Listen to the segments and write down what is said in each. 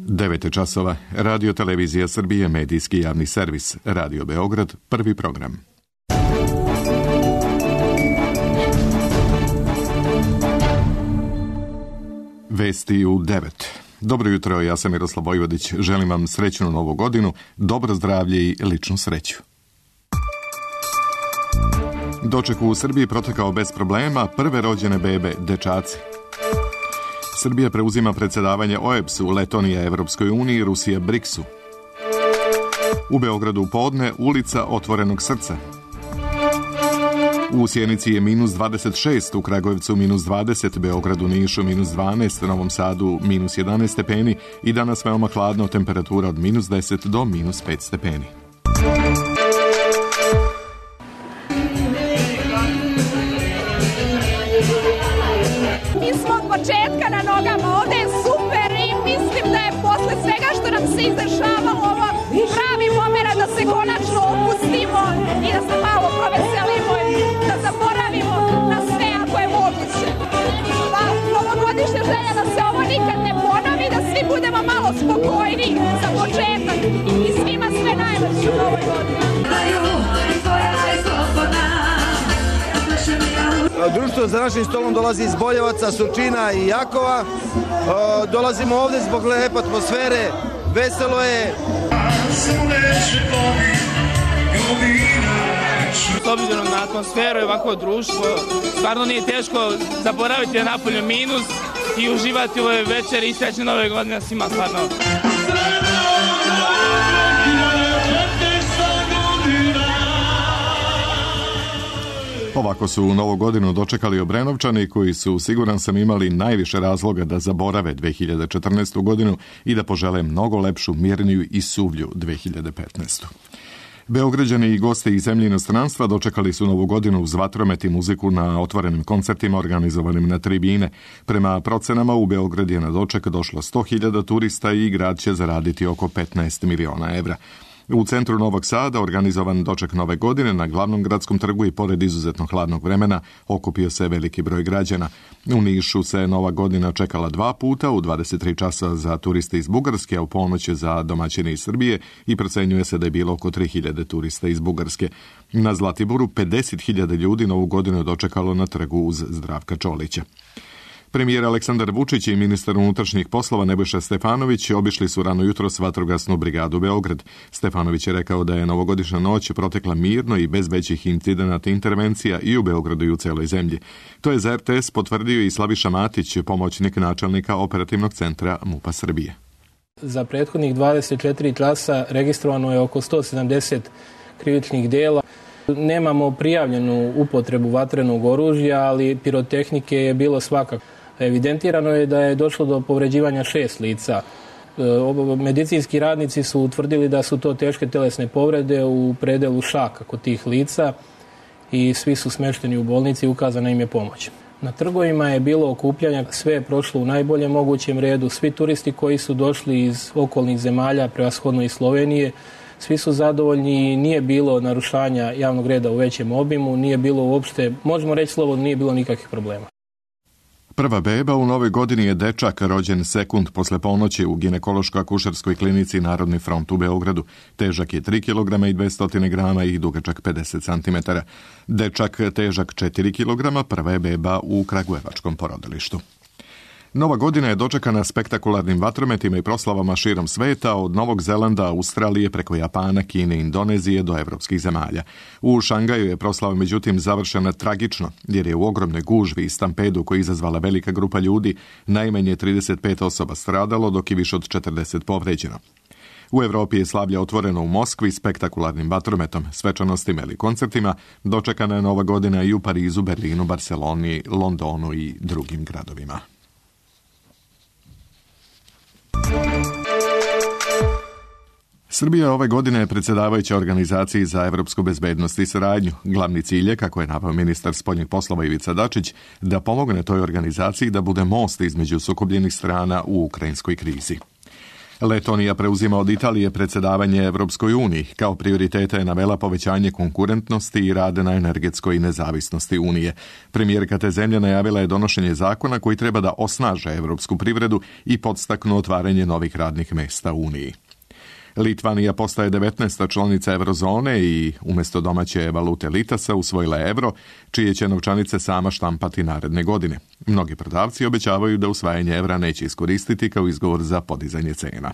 9 časova, Radio Televizija Srbije, medijski javni servis, Radio Beograd, prvi program. Vesti u 9. Dobro jutro, ja sam Miroslav Vojvodić. Želim vam srećnu novu godinu, dobro zdravlje i ličnu sreću. Doček u Srbiji protekao bez problema, prve rođene bebe, dečaci. Srbija preuzima predsjedavanje OEBS-u, Letonija Evropskoj uniji, Rusija BRICS-u. U Beogradu podne, ulica Otvorenog srca. U Sjenici je minus 26, u Kragujevcu minus 20, Beogradu, Nišu minus 12, Novom Sadu minus 11 stepeni i danas veoma hladno, temperatura od minus 10 do minus 5 stepeni. Mi smo od početka na nogama, ovde je super i mislim da je posle svega što nam se izdešavalo ovo pravi moment da se konačno opustimo i da se malo proveselimo i da zaboravimo na sve ako je moguće. Pa novogodišnja želja da se ovo nikad ne ponovi, da svi budemo malo spokojni za početak i svima sve najlepše u novoj godini. Društvo za našim stolom dolazi iz Boljevaca, Surčina i Jakova. Dolazimo ovde zbog lepe atmosfere, veselo je. S obzirom na atmosferu i ovako društvo, stvarno nije teško zaboraviti napolju minus i uživati u ovoj večeri i srećne nove godine svima stvarno. Ovako su u novu godinu dočekali Obrenovčani koji su, siguran sam, imali najviše razloga da zaborave 2014. godinu i da požele mnogo lepšu, mirniju i suvlju 2015. Beograđani i gosti iz zemlje i inostranstva dočekali su novu godinu uz vatromet i muziku na otvorenim koncertima organizovanim na tribine. Prema procenama u Beograd je na doček došlo 100.000 turista i grad će zaraditi oko 15 miliona evra. U centru Novog Sada organizovan doček nove godine na glavnom gradskom trgu i pored izuzetno hladnog vremena okupio se veliki broj građana. U Nišu se nova godina čekala 2 puta, u 23 časa za turiste iz Bugarske, a u ponoć za domaćine iz Srbije i procenjuje se da je bilo oko 3.000 turista iz Bugarske. Na Zlatiboru 50.000 ljudi novu godinu dočekalo na trgu uz Zdravka Čolića. Premijer Aleksandar Vučić i ministar unutrašnjih poslova Nebojša Stefanović obišli su rano jutros vatrogasnu brigadu Beograd. Stefanović je rekao da je novogodišnja noć protekla mirno i bez većih incidenata intervencija i u Beogradu i u celoj zemlji. To je za RTS potvrdio i Slaviša Matić, pomoćnik načelnika operativnog centra MUP-a Srbije. Za prethodnih 24 časa registrovano je oko 170 krivičnih dela. Nemamo prijavljenu upotrebu vatrenog oružja, ali pirotehnike je bilo svakako. Evidentirano je da je došlo do povređivanja 6 lica. Medicinski radnici su utvrdili da su to teške telesne povrede u predelu šaka kod tih lica i svi su smešteni u bolnici i ukazana im je pomoć. Na trgovima je bilo okupljanja, sve je prošlo u najboljem mogućem redu. Svi turisti koji su došli iz okolnih zemalja, prevashodno iz Slovenije, svi su zadovoljni i nije bilo narušanja javnog reda u većem obimu, nije bilo uopšte, možemo reći slobodno, nije bilo nikakvih problema. Prva beba u novoj godini je dečak rođen sekund posle ponoći u ginekološko-akušerskoj klinici Narodni front u Beogradu. Težak je 3 kg i 200 grama i dugačak 50 cm. Dečak težak 4 kg, prva je beba u kragujevačkom porodilištu. Nova godina je dočekana spektakularnim vatrometima i proslavama širom sveta, od Novog Zelanda, Australije, preko Japana, Kine i Indonezije do evropskih zemalja. U Šangaju je proslava međutim završena tragično, jer je u ogromnoj gužvi i stampedu koji izazvala velika grupa ljudi najmanje 35 osoba stradalo, dok je više od 40 povređeno. U Evropi je slavlje otvoreno u Moskvi spektakularnim vatrometom, svečanostima ili koncertima. Dočekana je Nova godina i u Parizu, Berlinu, Barceloni, Londonu i drugim gradovima. Srbija ove godine je predsjedavajuća organizaciji za evropsku bezbednost i saradnju. Glavni cilj je, kako je naveo ministar spoljnih poslova Ivica Dačić, da pomogne toj organizaciji da bude most između sukobljenih strana u ukrajinskoj krizi. Letonija preuzima od Italije predsjedavanje Evropskoj uniji. Kao prioritete je navela povećanje konkurentnosti i rade na energetskoj nezavisnosti Unije. Premijerka te zemlje najavila je donošenje zakona koji treba da osnaže evropsku privredu i podstaknu otvaranje novih radnih mjesta u Uniji. Litvanija postaje 19. članica eurozone i umjesto domaće valute litasa usvojila je euro, čije će novčanice sama štampati naredne godine. Mnogi prodavci obećavaju da usvajanje evra neće iskoristiti kao izgovor za podizanje cena.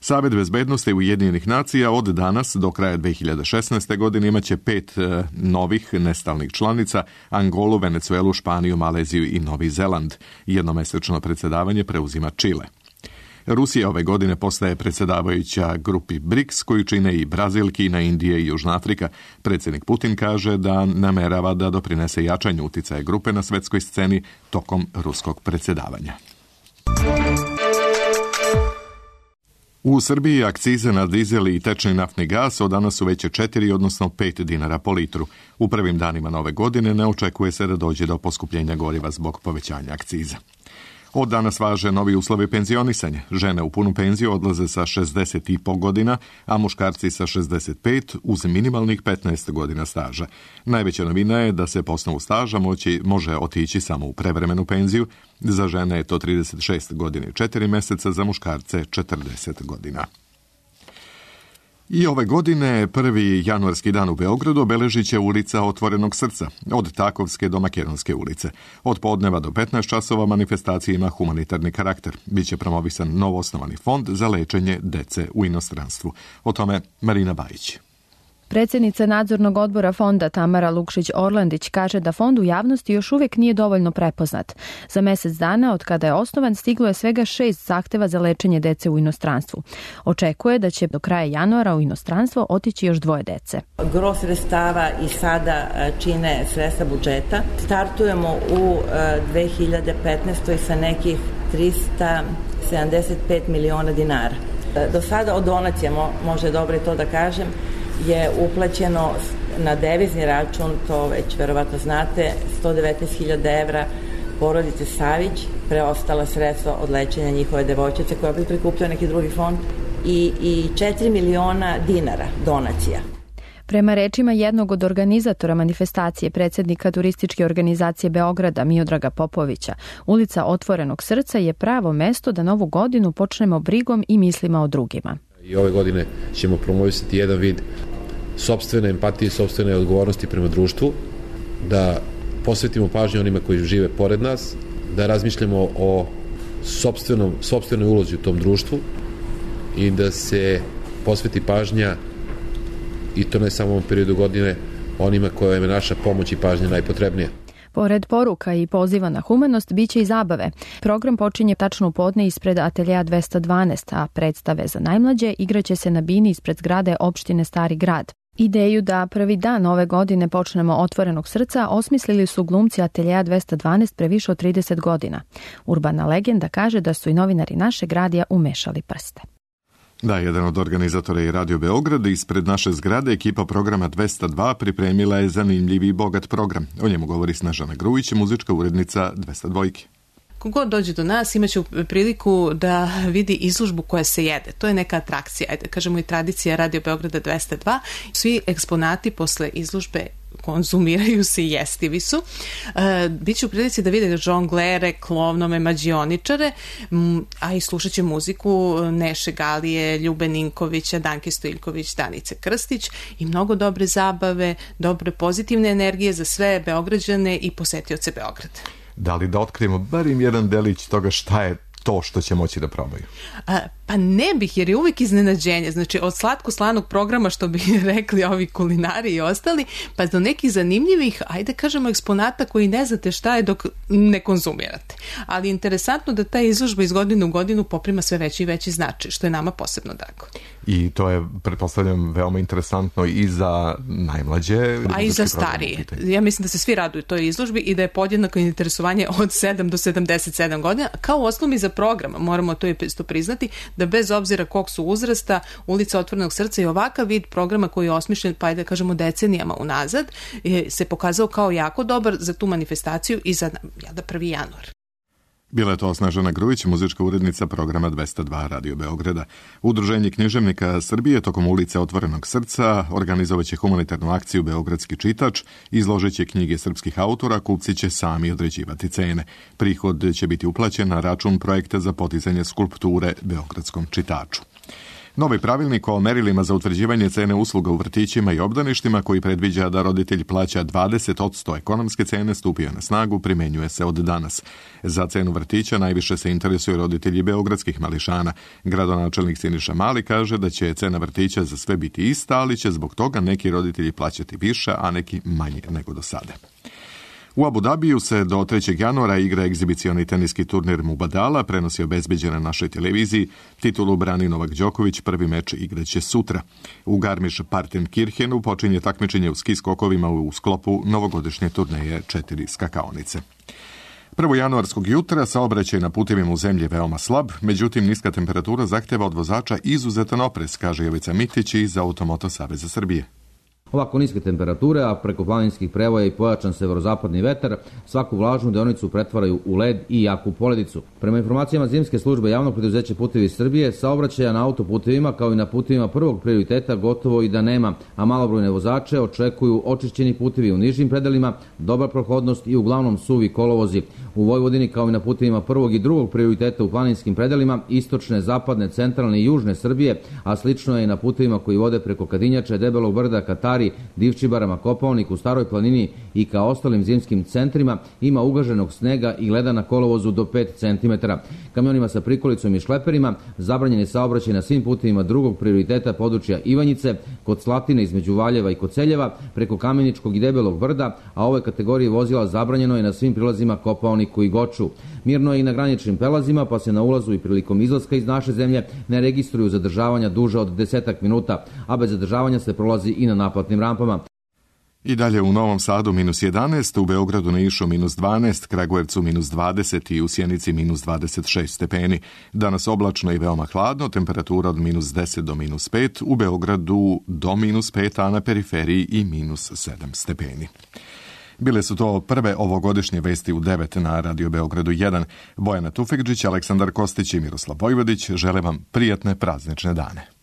Savet bezbednosti Ujedinjenih nacija od danas do kraja 2016. godine imaće 5 novih nestalnih članica: Angolu, Venecuelu, Španiju, Maleziju i Novi Zeland. Jednomesečno predsjedavanje preuzima Čile. Rusija ove godine postaje predsjedavajuća grupi BRICS, koju čine i Brazil, Kina, Indija i Južna Afrika. Predsjednik Putin kaže da namerava da doprinese jačanju uticaja grupe na svetskoj sceni tokom ruskog predsjedavanja. U Srbiji akcize na dizel i tečni naftni gas od danas su veće 4, odnosno 5 dinara po litru. U prvim danima nove godine ne očekuje se da dođe do poskupljenja goriva zbog povećanja akciza. Od danas važe novi uslovi penzionisanja. Žene u punu penziju odlaze sa 60,5 godina, a muškarci sa 65 uz minimalnih 15 godina staža. Najveća novina je da se po osnovu staža može otići samo u prevremenu penziju. Za žene je to 36 godina i 4 mjeseca, za muškarce 40 godina. I ove godine, prvi januarski dan u Beogradu obeležit će ulica Otvorenog srca, od Takovske do Makedonske ulice. Od podneva do 15 časova manifestacija ima humanitarni karakter. Biće promovisan novoosnovani fond za lečenje dece u inostranstvu. O tome Marina Bajić. Predsjednica nadzornog odbora fonda Tamara Lukšić-Orlandić kaže da fond u javnosti još uvijek nije dovoljno prepoznat. Za mjesec dana od kada je osnovan stiglo je svega 6 zahteva za lečenje dece u inostranstvu. Očekuje da će do kraja januara u inostranstvo otići još 2 dece. Gro sredstava i sada čine sredstva budžeta. Startujemo u 2015. sa nekih 375 miliona dinara. Do sada od donacija, može dobro i to da kažem, je uplaćeno na devizni račun, to već verovatno znate, 119.000 evra porodice Savić, preostala sredstva od lečenja njihove devojčice koja bi prikupljao neki drugi fond i 4 miliona dinara donacija. Prema rečima jednog od organizatora manifestacije, predsjednika turističke organizacije Beograda Miodraga Popovića, ulica Otvorenog srca je pravo mesto da novu godinu počnemo brigom i mislima o drugima. I ove godine ćemo promovisati jedan vid sopstvene empatije, sopstvene odgovornosti prema društvu, da posvetimo pažnju onima koji žive pored nas, da razmišljamo o sopstvenoj ulozi u tom društvu i da se posveti pažnja, i to ne samo u ovom periodu godine, onima kojima je naša pomoć i pažnja najpotrebnija. Pored poruka i poziva na humanost, bit će i zabave. Program počinje tačno u podne ispred Ateljea 212, a predstave za najmlađe igraće se na bini ispred zgrade opštine Stari grad. Ideju da prvi dan ove godine počnemo Otvorenog srca osmislili su glumci Ateljea 212 pre više od 30 godina. Urbana legenda kaže da su i novinari našeg radija umešali prste. Da, jedan od organizatora je Radio Beograd. Ispred naše zgrade ekipa programa 202 pripremila je zanimljiv i bogat program. O njemu govori Snežana Grujić, muzička urednica 202. Kogod dođe do nas imaće priliku da vidi izložbu koja se jede. To je neka atrakcija, ajde kažemo i tradicija Radio Beograda 202. Svi eksponati posle izložbe konzumiraju se i jestivi su. Biće u prilici da vide žonglere, klovnome, mađioničare, a i slušat će muziku Neše Galije, Ljube Ninkovića, Danke Stojiljković, Danice Krstić i mnogo dobre zabave, dobre pozitivne energije za sve Beograđane i posetioce Beograda. Da li da otkrijemo barim jedan delić toga šta je to što će moći da probaju? Pa ne bih, jer je uvijek iznenađenje. Znači, od slatko-slanog programa, što bi rekli ovi kulinari i ostali, pa do nekih zanimljivih, ajde kažemo, eksponata koji ne znate šta je dok ne konzumirate. Ali interesantno da ta izložba iz godine u godinu poprima sve veći i veći značaj, što je nama posebno drago. I to je, pretpostavljam, veoma interesantno i za najmlađe. A i za starije. Ja mislim da se svi raduju toj izložbi i da je podjednako interesovanje od 7 do 77 godina, kao osnovi za program. Moramo to isto priznati, da bez obzira kog su uzrasta, ulica Otvorenog srca i ovakav vid programa koji je osmišljen, pa da kažemo decenijama unazad, se pokazao kao jako dobar za tu manifestaciju i za 1. januar. Bila je to Snežana Grujić, muzička urednica programa 202 Radio Beograda. Udruženje književnika Srbije tokom ulice Otvorenog srca organizovaće humanitarnu akciju Beogradski čitač, izložit će knjige srpskih autora, kupci će sami određivati cene. Prihod će biti uplaćen na račun projekta za podizanje skulpture Beogradskom čitaču. Novi pravilnik o merilima za utvrđivanje cene usluga u vrtićima i obdaništima, koji predviđa da roditelj plaća 20% ekonomske cene, stupio na snagu, primenjuje se od danas. Za cenu vrtića najviše se interesuju roditelji beogradskih mališana. Gradonačelnik Siniša Mali kaže da će cena vrtića za sve biti ista, ali će zbog toga neki roditelji plaćati više, a neki manje nego do sada. U Abu Dabiju se do 3. januara igra egzibicioni teniski turnir Mubadala, prenosi obezbeđen na našoj televiziji. Titulu brani Novak Đoković, prvi meč igraće sutra. U Garmisch-Partenkirchenu počinje takmičenje u ski skokovima u sklopu novogodišnje turneje 4 skakaonice. 1. januarskog jutra saobraćaj na putevima u zemlji je veoma slab, međutim niska temperatura zahteva od vozača izuzetan oprez, kaže Jovica Mitić iz Automoto Saveza Srbije. Ovako niske temperature, a preko planinskih prevoja i pojačan severozapadni vetar, svaku vlažnu deonicu pretvaraju u led i jaku poledicu. Prema informacijama zimske službe javnog preduzeća Putevi Srbije, saobraćaja na autoputevima kao i na putevima prvog prioriteta gotovo i da nema, a malobrojne vozače očekuju očišćeni putevi u nižim predelima, dobra prohodnost i uglavnom suvi kolovozi. U Vojvodini kao i na putevima prvog i drugog prioriteta u planinskim predelima, istočne, zapadne, centralne i južne Srbije, a slično je i na putevima koji vode preko Kadinjače, Debelog brda, Katari, Divčibarama, Kopaoniku, Staroj planini i ka ostalim zimskim centrima ima ugaženog snega i leda na kolovozu do 5 cm. Kamionima sa prikolicom i šleperima zabranjen je saobraćaj na svim putevima drugog prioriteta područja Ivanjice, kod Slatine između Valjeva i Koceljeva, preko Kameničkog i Debelog brda, a ove kategorije vozila zabranjeno je na svim prilazima Kopaoniku i Goču. Mirno je i na graničnim prelazima, pa se na ulazu i prilikom izlaska iz naše zemlje ne registruju zadržavanja duže od 10 minuta, a bez zadržavanja se prolazi i na naplatnim rampama. I dalje u Novom Sadu -11, u Beogradu na Nišu -12, Kragujevcu -20 i u Sjenici -26 stepeni. Danas oblačno i veoma hladno, temperatura od -10 do -5, u Beogradu do -5, a na periferiji i -7 stepeni. Bile su to prve ovogodišnje vesti u 9 na Radio Beogradu 1. Bojana Tufekđić, Aleksandar Kostić i Miroslav Vojvodić žele vam prijatne praznične dane.